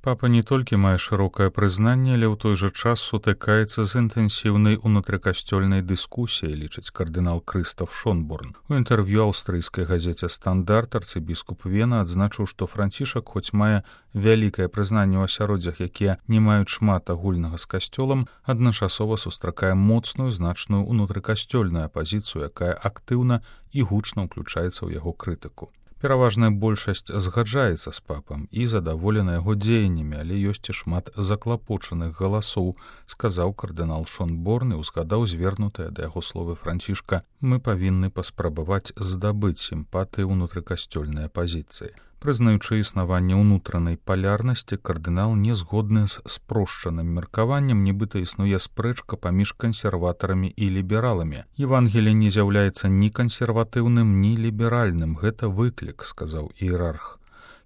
Папа не толькі мае шырокае прызнанне, але ў той жа час сутыкаецца з інтэнсіўнай унутрыкасцёльнай дыскусіяй, лічыць кардынал Крыстаф Шонборн. У інтэрв'ю аўстрыйскай газеце «Стандарт» арцыбіскуп Вена адзначыў, што Францішак хоць мае вялікае прызнанне ў асяроддзях, якія не маюць шмат агульнага з касцёлам, адначасова сустракае моцную значную унутрыкасцёльную апазіцыю, якая актыўна і гучна ўключаецца ў яго крытыку. Пераважная большасць згаджаецца з папам і задаволена яго дзеяннямі, але ёсць і шмат заклапочаных галасоў, сказаў кардынал Шонборн і ўзгадаў звернутыя да яго словы Францішка: «Мы павінны паспрабаваць здабыць сімпатыі ўнутрыкасцёльнай апазіцыі». Прызнаючы існаванне ўнутранай палярнасці, кардынал не згодны з спрошчаным меркаваннем, нібыта існуе спрэчка паміж кансерватарамі і лібераламі. «Евангелие не з'яўляецца ні кансерватыўным, ні ліберальным. Гэта выклік», — сказаў іерарх.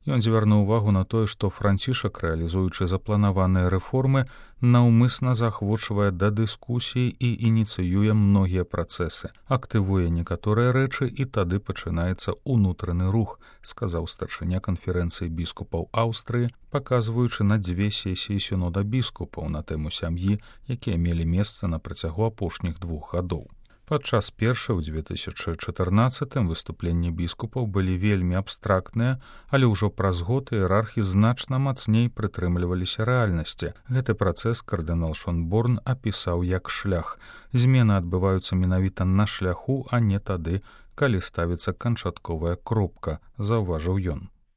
Ён звярнуў увагу на тое, што Францішак, рэалізуючы запланаваныя рэформы, наўмысна заахвочвае да дыскусіі і ініцыюе многія працэсы, актывуе некаторыя рэчы і тады пачынаецца ўнутраны рух, сказаў старшыня канферэнцыі біскупаў Аўстрыі, паказваючы на 2 сесіі сінода біскупаў на тэму сям'і, якія мелі месца на працягу апошніх 2 гадоў. Падчас першай у 2014 выступленні біскупаў былі вельмі абстрактныя, але ўжо праз год іерархі значна мацней прытрымліваліся рэальнасці. Гэты працэс кардынал Шонборн апісаў як шлях. Змены адбываюцца менавіта на шляху, а не тады, калі ставіцца канчатковая кропка, заўважыў ён.